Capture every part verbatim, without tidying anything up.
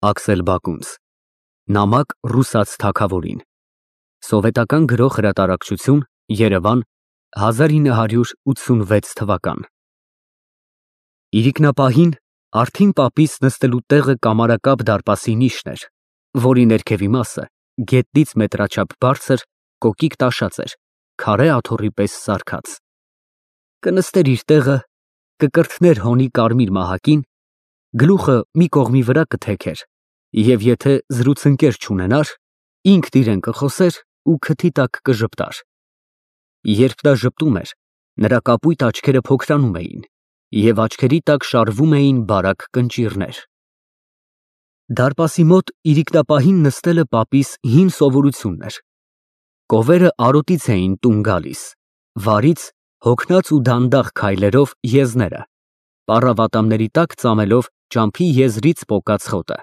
Աքսել Բակունց, նամակ ռուսաց թագավորին, սովետական գրող հրատարակչություն, Երևան, հազար ինը հարյուր ութսունվեց թվական։ Իրիկնապահին արդին պապիս նստելու տեղը կամարակապ դարպասի նիշն էր, որի ներքևի մասը գետնից մետրաչափ բարձր, կոկիկ տաշած էր, քարե աթոռի պես սարքած։ Կնստեր իր տեղը, կկրթներ հոնի կարմիր մահակին, գլուխը մի կողմի վրա կթեքեր, և եթե զրուցընկեր չունենար, ինքն իրեն կխոսեր ու քթի տակ կժպտար։ Երբ նա ժպտում էր, նրա կապույտ աչքերը փոքրանում էին, և աչքերի տակ շարվում էին բարակ կնճիռներ։ Դարպասի մոտ իրիկնապահին նստելը պապիս հին սովորությունն էր։ Կովերը արոտից էին տուն գալիս, վարից հոգնած ու դանդաղ քայլերով եզները, պառավատամների տակ ծամելով ճամփի եզրից պոկած խոտը։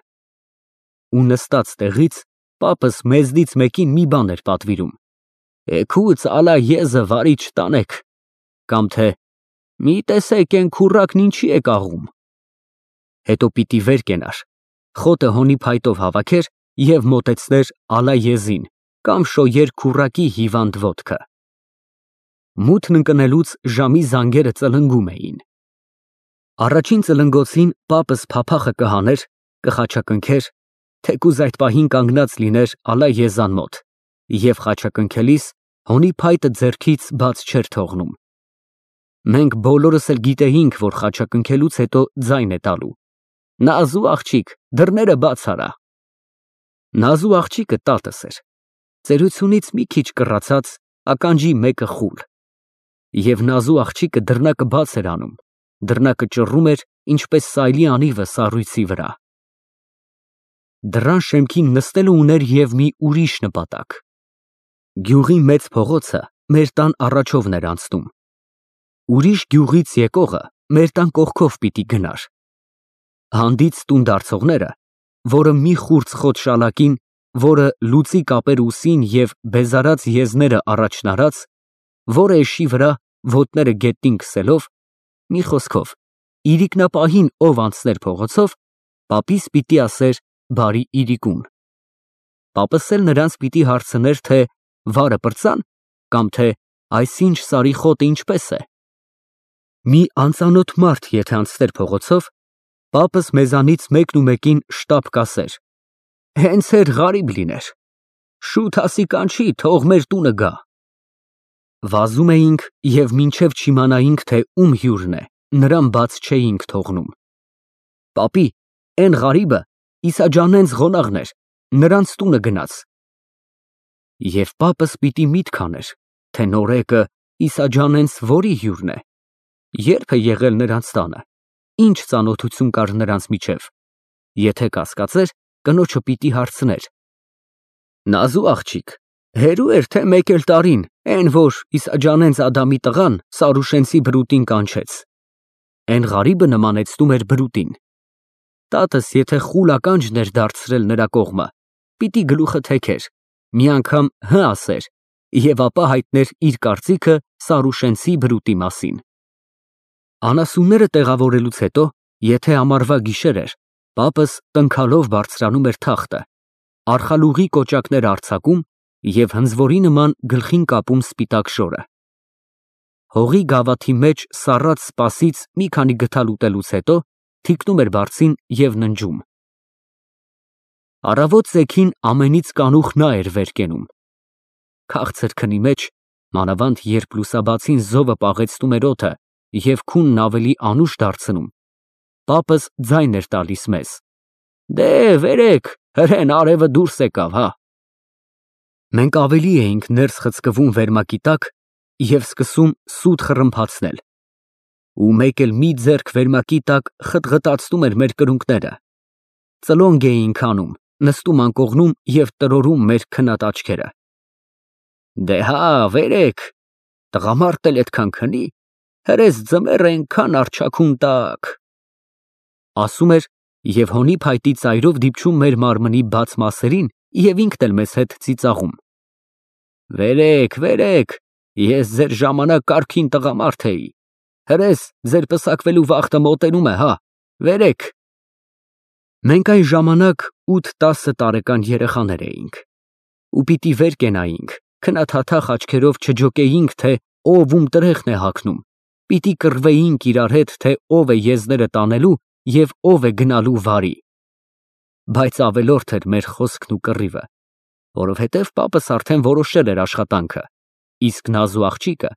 Ու նստած տեղից պապս մեզնից մեկին մի բան էր պատվիրում. «Էգուց ալա եզը վարի չտանեք», կամ թե «Մի տեսեք էն քուռակն ինչի է կաղում»։ Հետո պիտի վեր կենար, խոտը հոնի փայտով հավաքեր և մոտեցներ ալա եզին կամ շոյեր քուռակի հիվանդ ոտքը։ Մութն ընկնելուց ժամի զանգերը ծլնգում էին։ Առաջին ծլնգոցին պապս փափախը կհաներ, կխաչակնքեր, թեկուզ այդ պահին կանգնած լիներ ալա եզան մոտ և խաչակնքելիս հոնի փայտը ձեռքից բաց չէր թողնում։ Մենք բոլորս էլ գիտեինք, որ խաչակնքելուց հետո ձայն է տալու. «Նազու աղջիկ, դռները բաց արա»։ Նազու աղջիկը տատս էր, ծերությունից մի քիչ կռացած, ականջի մեկը խուլ։ Եվ նազու աղջիկը դռնակը բաց էր անում, դռնակը ճռռում էր, ինչպես սայլի անիվը սառույցի վրա։ Դռան շեմքին նստելը ուներ և մի ուրիշ նպատակ։ Գյուղի մեծ փողոցը մեր տան առաջովն էր անցնում։ Ուրիշ գյուղից եկողը մեր տան կողքով պիտի գնար։ Հանդից տուն դարձողները, որը մի խուրձ խոտ շալակին, որը լուծի կապեր ուսին և բեզարած եզները առաջն արած, որը էշի վրա, ոտները գետնին քսելով, մի խոսքով, իրիկնապահին ով անցներ փողոցով, պապիս պիտի ասեր բարի իրիկուն։ Պապս էլ նրանց պիտի հարցներ, թե վարը պրծա՞ն, կամ թե այսինչ սարի խոտը ինչպես է։ Մի անծանոթ մարդ եթե անցներ փողոցով, պապս մեզանից մեկն ու մեկին շտապ կասեր. «Հենց էր ղարիբ լիներ, շուտ ասի կանչի, թող մեր տունը գա»։ Վազում էինք և մինչև չիմանայինք, թե ում հյուրն է, նրան բաց չէինք թողնում։ «Պապի, էն ղարիբը Իսաջանենց ղոնաղն էր, նրանց տունը գնաց»։ Եվ պապս պիտի միտք աներ, թե նորեկը Իսաջանենց որի հյուրն է, երբ է եղել նրանց տանը, ինչ ծանոթություն կար նրանց միջև, եթե կասկածեր, կնոջը պիտի հարցներ. «Նազու աղջիկ, հերո՞ւ էր, թե մեկ էլ տարին, էն որ Իսաջանենց Ադամի տղան Սարուշենցի բրուտին կանչեց»։ Էն ղարիբը նմանեցնում էր բրուտին։ Տատս եթե խուլ ականջն էր դարձրել նրա կողմը, պիտի գլուխը թեքեր, մի անգամ հը ասեր և ապա հայտներ իր կարծիքը Սարուշենցի բրուտի մասին։ Անասունները տեղավորելուց հետո, եթե ամառվա գիշեր էր, պապս տնքալով բարձրանում էր թախտը, արխալուղի կոճակներ արձակում և հնձվորի նման գլխին կապում սպիտակ շորը։ Հողի գավաթի մեջ սառած սպասից մի քանի գթալ ուտելուց հետո թիկնում էր բարձին և ննջում։ Առավոտ ծեքին ամենից կանուխ նա էր վեր կենում։ Քաղցր քնի մեջ, մանավանդ երբ լուսաբացին զովը պաղեցնում էր օդը և քունն ավելի անուշ դարձնում, պապս ձայն էր տալիս մեզ. «Դե վերեք, հրեն արևը դուրս եկավ, հա»։ Մենք ավելի էինք ներս խցկվում վերմակի տակ և սկսում սուտ խռմփացնել։ Ու մեկ էլ մի ձեռք վերմակի տակ խտղտացնում էր մեր կրունկները։ Ծլոնգ էինք անում, նստում անկողնում և տրորում մեր քնած աչքերը։ «Դե հա, վերեք, տղամարդն էլ էդքան քնի, հրես ձմեռ էնքան առջաքուն տաք», ասում էր և հոնի փայտի ծայրով դիպչում մեր մարմնի բաց մասերին և ինքն էլ մեզ հետ ծիծաղում։ «Վերեք, վերեք, ես ձեր ժամանակ կարգին տղամարդ էի, հրես ձեր պսակվելու վախտը մոտենում է, հա, վերեք»։ Մենք այն ժամանակ ութ֊տասը տարեկան երեխաներ էինք, ու պիտի վեր կենայինք, քնաթաթախ աչքերով չջոկեինք, թե ով ում տրեխն է հագնում, պիտի կռվեինք իրար հետ, թե ով է եզները տանելու և ով է գնալու վարի։ Բայց ավելորդ էր մեր խոսքն ու կռիվը, որովհետև պապս արդեն որոշել էր աշխատանքը, իսկ նազու աղջիկը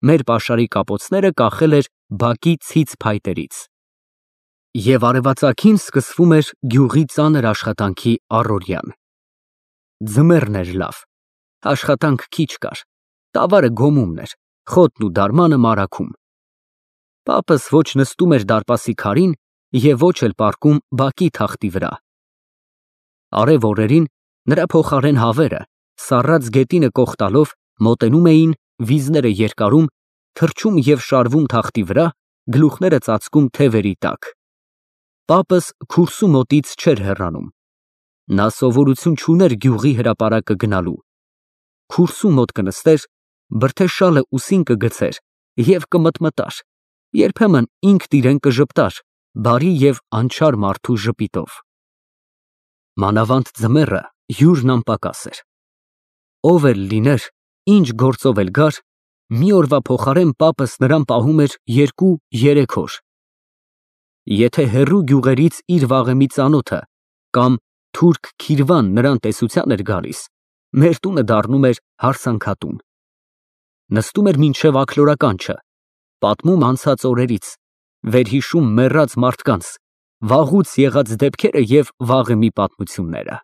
մեր պաշարի կապոցները կախել էր բակի ցից փայտերից։ Եվ արևածագին սկսվում էր գյուղի ծանր աշխատանքի առօրյան։ Ձմեռն էր լավ, աշխատանք քիչ կար, տավարը գոմումն էր, խոտն ու դարմանը մարագում։ Պապս ոչ նստում էր դարպասի քարին և ոչ էլ պառկում բակի թախտի վրա։ Արև օրերին նրա փոխարեն հավերը, սառած գետինը կոխտալով, մոտենում էին, վիզները երկարում, թռչում և շարվում թախտի վրա, գլուխները ծածկում թևերի տակ։ Պապս քուրսու մոտից չէր հեռանում։ Նա սովորություն չուներ գյուղի հրապարակը գնալու։ Քուրսու մոտ կնստեր, բրդե շալը ուսին կգցեր և կմտմտար, երբեմն ինքն իրեն կժպտար բարի և անչար մարդու ժպիտով։ Մանավանդ ձմեռը հյուրն անպակաս էր։ Ով էլ լիներ, ինչ գործով էլ գար, մի օրվա փոխարեն պապս նրան պահում էր երկու֊երեք օր։ Եթե հեռու գյուղերից իր վաղեմի ծանոթը կամ թուրք քիրվան նրան տեսության էր գալիս, մեր տունը դառնում էր հարսանքատուն։ Նստում էր մինչև աքլորականջը, պատմում անցած օրերից, վերհիշում մեռած մարդկանց, վաղուց եղած դեպքերը և վաղեմի պատմությունները։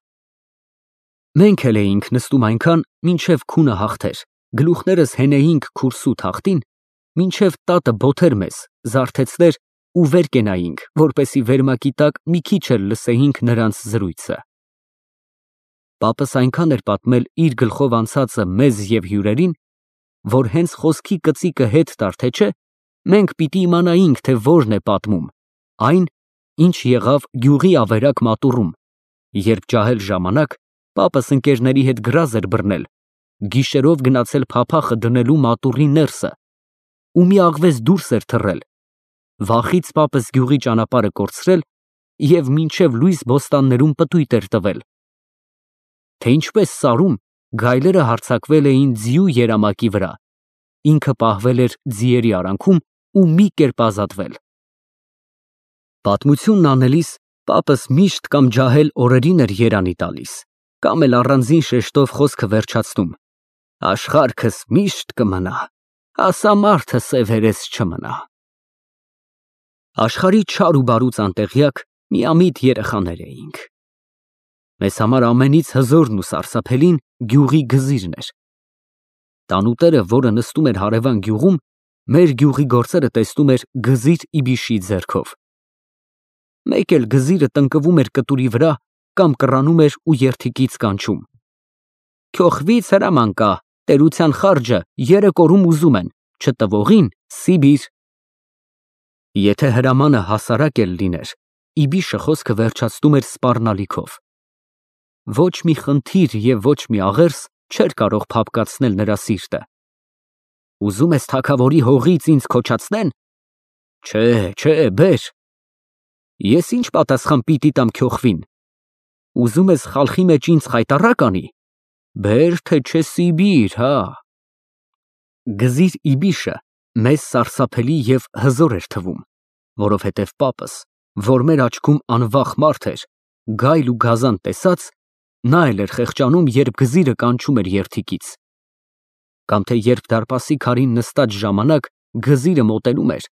Մենք էլ էինք նստում այնքան, մինչև քունը հաղթեր, գլուխներս հենեինք քուրսու թախտին, մինչև տատը բոթեր մեզ, զարթեցներ ու վեր կենայինք, որպեսզի վերմակի տակ մի քիչ էլ լսեինք նրանց զրույցը։ Պապս այնքան էր պատմել իր գլխով անցածը մեզ և հյուրերին, որ հենց խոսքի կծիկը հետ տար թե չէ, մենք պիտի իմանայինք, թե որն է պատմում, այն, ինչ եղավ գյուղի ավերակ մատուռում, երբ ջահել ժամանակ պապս ընկերների հետ գրազ էր բռնել, գիշերով գնացել փափախը դնելու մատուռի ներսը ու մի աղվես դուրս էր թռել, վախից պապս գյուղի ճանապարհը կորցրել և մինչև լույս բոստաններում պտույտ էր տվել, թե ինչպես սարում գայլերը հարձակվել էին ձիու երամակի վրա, ինքը պահվել էր ձիերի արանքում ու մի կերպ ազատվել։ Պատմությունն անելիս պապս միշտ կամ ջահել օրերին էր երանի տալիս, կամ էլ առանձին շեշտով խոսքը վերջացնում. աշխարհքս միշտ կմնա, ասա մարդը սևերես չմնա։ Աշխարհի չար ու բարուց անտեղյակ միամիտ երեխաներ էինք։ Մեզ համար ամենից հզորն ու սարսափելին գյուղի գզիրն էր։ Տանուտերը, որը նստում էր հարևան գյուղում, մեր գյուղի գործերը տեսնում էր գզիր Իբիշի ձեռքով։ Մեկ էլ գզիրը տնկվում էր կտուրի վրա կամ կռանում էր ու երդիկից կանչում. «Քյոխվից հրաման կա, տերության խարջը երեք օրում ուզում են, չտվողին Սիբիր»։ Եթե հրամանը հասարակ էլ լիներ, Իբիշը խոսքը վերջացնում էր սպառնալիքով։ Ոչ մի խնդիր և ոչ մի աղերս չէր կարող փափկացնել նրա սիրտը։ Ուզում ես թագավորի հողից ինձ քոչացնեն։ Չէ, չէ, բեր։ Ես ինչ պատասխան պիտի տամ քյոխվին։ Ուզում ես խալխի մեջ ինձ խայտառակ անի։ Բեր թե չէ Սիբիր, հա։ Գզիր Իբիշը մեզ սարսափելի և հզոր էր թվում, որովհետև պապս, որ մեր աչքում անվախ մարդ էր, գայլ ու գազան տեսած, նա էլ էր խեղճանում, երբ գզիրը կանչում էր երդիկից։ Կամ թե երբ դարպասի քարին նստած ժամանակ գզիրը մոտենում էր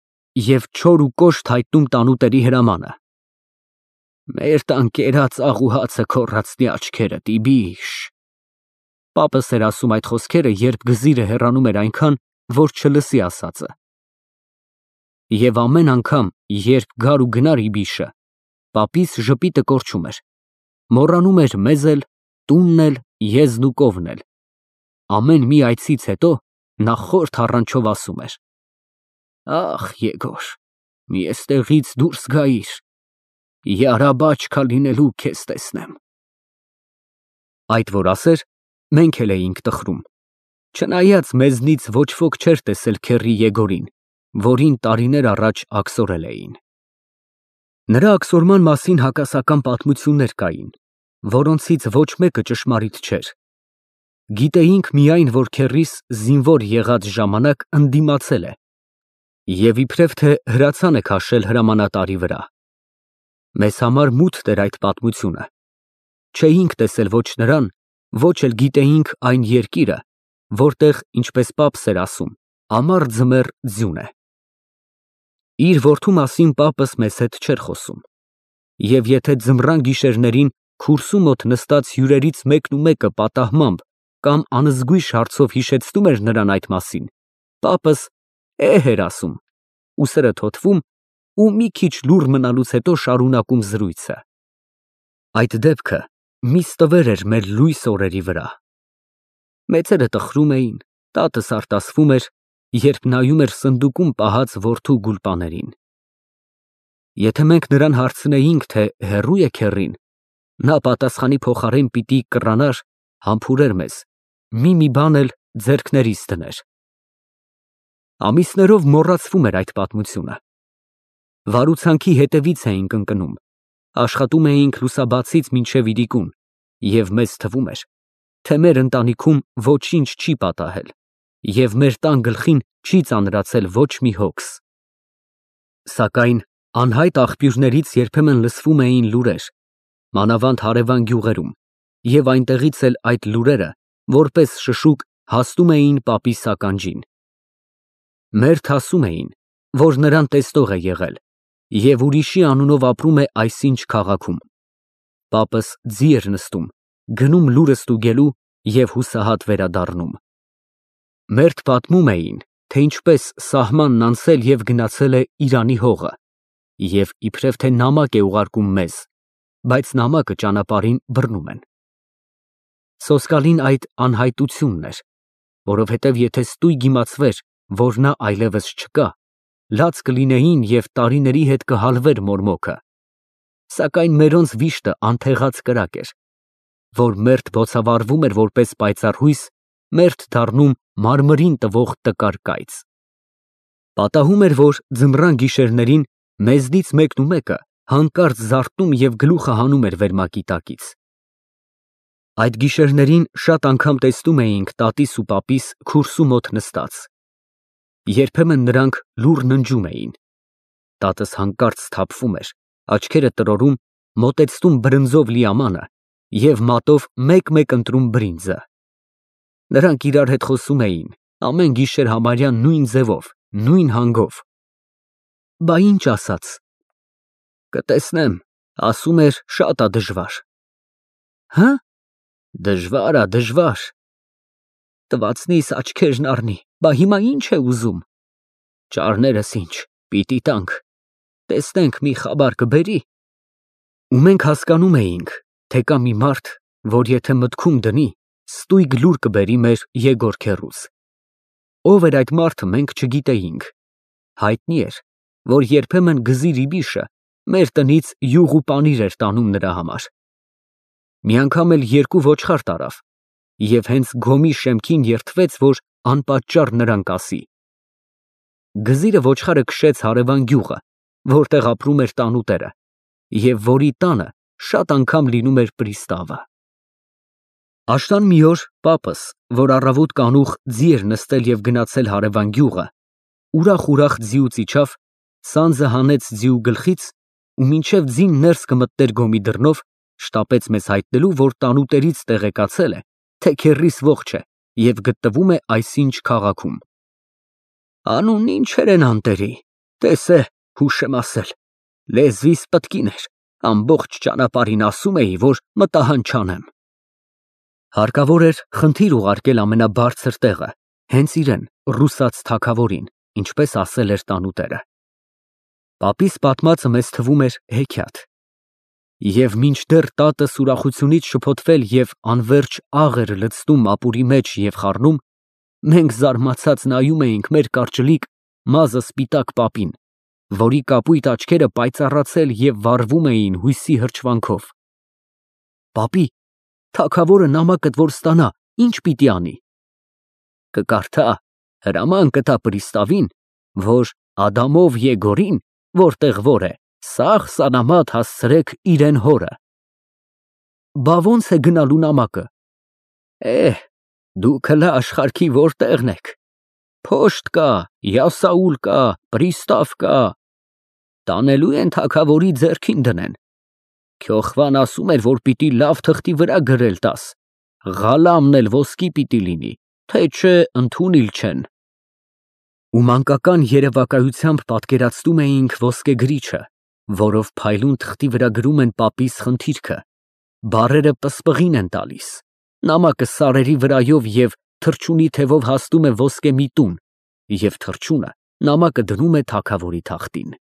և չոր ու կոշտ հայտնում տանուտերի հրամանը. «Մեր տան կերած աղուհացը քոռացնի աչքերդ, Իբիշ»։ Պապս էր ասում այդ խոսքերը, երբ գզիրը հեռանում էր այնքան, որ չլսի ասածը։ Եվ ամեն անգամ, երբ գար ու գնար Իբիշը, պապիս ժպիտը կորչում էր, մոռանում էր մեզ էլ, տունն էլ, եզն ու կովն էլ։ Ամեն մի այցից հետո նա խոր թառանչով ասում էր. «Ախ, Եգոր, մի էստեղից դուրս գայիր, յարաբաչքա լինելու քեզ տեսնեմ»։ Այդ որ ասեր, մենք էլ էինք տխրում, չնայած մեզնից ոչ ոք չէր տեսել քեռի Եգորին, որին տարիներ առաջ աքսորել էին։ Նրա աքսորման մասին հակասական պատմություններ կային, որոնցից ոչ մեկը ճշմարիտ չէր։ Գիտեինք միայն, որ քեռիս զինվոր եղած ժամանակ ընդդիմացել է և իբրև թե հրացան է քաշել հրամանատարի վրա։ Մեզ համար մութ էր այդ պատմությունը։ Չէինք տեսել ոչ նրան, ոչ էլ գիտեինք այն երկիրը, որտեղ, ինչպես պապս էր ասում, ամառ ձմեռ ձյուն է։ Իր որդու մասին պապս մեզ հետ չէր խոսում, և եթե ձմռան գիշերներին քուրսու մոտ նստած հյուրերից մեկն ու մեկը պատահմամբ կամ անզգույշ հարցով հիշեցնում էր նրան այդ մասին, պապս «էհ» էր ասում, ուսերը թոթվում ու մի քիչ լուռ մնալուց հետո շարունակում զրույցը։ Այդ դեպքը մի ստվեր էր մեր լույս օրերի վրա։ Մեծերը տխրում էին, տատս արտասվում էր, երբ նայում էր սնդուկում պահած որդու գուլպաներին։ Եթե մենք նրան հարցնեինք, թե հեռո՞ւ է քեռին, նա պատասխանի փոխարեն պիտի կռանար, համբուրեր մեզ, մի-մի բան էլ ձեռքներիս դներ։ Ամիսներով մոռացվում էր այդ պատմությունը։ Վարուցանքի հետևից էինք ընկնում, աշխատում էինք լուսաբացից մինչև իրիկուն, և մեզ թվում էր, թե մեր ընտանիքում ոչինչ չի պատահել, և մեր տան գլխին չի ծանրացել ոչ մի հոգս։ Սակայն անհայտ աղբյուրներից երբեմն լսվում էին լուրեր, մանավանդ հարևան գյուղերում, և այնտեղից էլ այդ լուրերը, որպես շշուկ, հասնում էին պապիս ականջին։ Մերթ ասում էին, որ նրան տեսնող է եղել և ուրիշի անունով ապրում է այսինչ քաղաքում։ Պապս ձի էր նստում, գնում լուրը ստուգելու և հուսահատ վերադառնում։ Մերթ պատմում էին, թե ինչպես սահմանն անցել և գնացել է Իրանի հողը, և իբրև թե նամակ է ուղարկում մեզ, բայց նամակը ճանապարհին բռնում են։ Սոսկալին այդ անհայտությունն էր, որովհետև եթե ստույգ իմացվեր, որ նա այլևս չկա, լաց կլինեին և տարիների հետ կհալվեր մորմոքը, սակայն մերոնց վիշտը անթեղած կրակ էր, որ մերթ բոցավառվում էր որպես պայծառ հույս, մերթ դառնում մարմրին տվող տկար կայծ։ Պատահում էր, որ ձմռան գիշերներին մեզնից մեկն ու մեկը հանկարծ զարթնում և գլուխը հանում էր վերմակի տակից։ Այդ գիշերներին շատ անգամ տեսնում էինք տատիս ու պապիս քուրսու մոտ նստած։ Երբեմն նրանք լուռ ննջում էին։ Տատս հանկարծ սթափվում էր, աչքերը տրորում, մոտեցնում բրնձով լի ամանը և մատով մեկ֊մեկ ընտրում բրինձը։ Նրանք իրար հետ խոսում էին, ամեն գիշեր համարյա նույն ձևով, նույն հանգով։ Բա ինչ ասաց։ Կտեսնեմ, ասում էր, շատ ա դժվար։ Հը՞։ Դժվար ա, դժվար։ Տվածնիս աչքերն առնի, բա հիմա ինչ է ուզում։ Ճարներս ինչ, պիտի տանք, տեսնենք մի խաբար կբերի։ Ու մենք հասկանում էինք, թե կա մի մարդ, որ եթե մտքում դնի, ստույգ լուր կբերի մեր Եգոր քեռուց։ Ով էր այդ մարդը, մենք չգիտեինք։ Հայտնի էր, որ երբեմն Գզիր-ի-Բիշը մեր տնից յուղ ու պանիր էր տանում նրա համար։ Մի անգամ էլ երկու ոչխար տարավ, և հենց գոմի շեմքին երդվեց, որ անպատճառ նրան կասի։ Գզիրը ոչխարը քշեց հարևան գյուղը, որտեղ ապրում էր տանուտերը, և որի տանը շատ անգամ լինում էր պրիստավը։ Աշնան մի օր պապս, որ առավոտ կանուխ ձի էր նստել և գնացել հարևան գյուղը, ուրախ֊ուրախ ձիուց իջավ, սանձը հանեց ձիու գլխից ու մինչև ձին ներս կմտներ գոմի դռնով, շտապեց մեզ հայտնելու, որ տանուտերից տեղեկացել է, թե քեռիս ողջ է և գտնվում է այսինչ քաղաքում։ Անունն ինչեր են անտերի, տես է, հուշ եմ ասել, լեզվիս պտկին էր, ամբողջ ճանապարհին ասում էի, որ մտահան չանեմ։ Հարկավոր էր խնդիր ուղարկել ամենաբարձր տեղը, հենց իրեն, ռուսաց թագավորին, ինչպես ասել էր տանուտերը։ Պապիս պատմածը մեզ թվում էր հեքիաթ։ Եվ մինչդեռ տատս ուրախությունից շփոթվել և անվերջ աղ էր լցնում ապուրի մեջ և խառնում, մենք զարմացած նայում էինք մեր կարճլիկ, մազը սպիտակ պապին, որի կապույտ աչքերը պայծառացել և վառվում էին հույսի հրճվանքով։ Պապի, թագավորը նամակդ որ ստանա, ի՞նչ պիտի անի։ Կկարդա, հրաման կտա պրիստավին, որ Ադամով Եգորին, որտեղ որ է, Սաղ սանամատ հասցրեք իրեն հորը։ Բա ոնց է գնալու նամակը։ Էհ, դուք հլը աշխարհքի որտեղն եք։ Փոշտ կա, յասաուլ կա, պրիստավ կա։ Տանելու են թագավորի ձեռքին դնեն։ Քյոխվան ասում էր, որ պիտի լավ թղթի վրա գրել տաս, Ղալամն էլ ոսկի պիտի լինի, թե չէ ընդունիլ չեն։ Ու մանկական երևակայությամբ պատկերացնում էինք ոսկեգրիչը, որով փայլուն թղթի վրա գրում են պապիս խնդիրքը, բառերը պսպղին են տալիս, նամակը սարերի վրայով և թռչունի թևով հասնում է ոսկե մի տուն, և թռչունը նամակը դնում է թագավորի թախտին։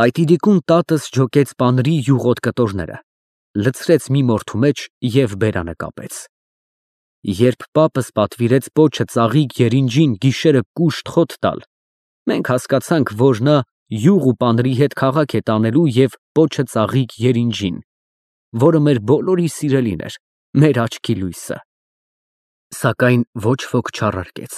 Այդ իրիկուն տատս ջոկեց պանրի յուղոտ կտորները, լցրեց մի մորթու մեջ և բերանը կապեց։ Երբ պապս պատվիրեց պոչը ծաղիկ երինջին գիշերը կուշտ խոտ տալ, մենք հասկացանք, որ նա յուղ ու պանրի հետ քաղաք է տանելու և պոչը ծաղիկ երինջին, որը մեր բոլորի սիրելին էր, մեր աչքի լույսը։ Սակայն ոչ ոք չառարկեց։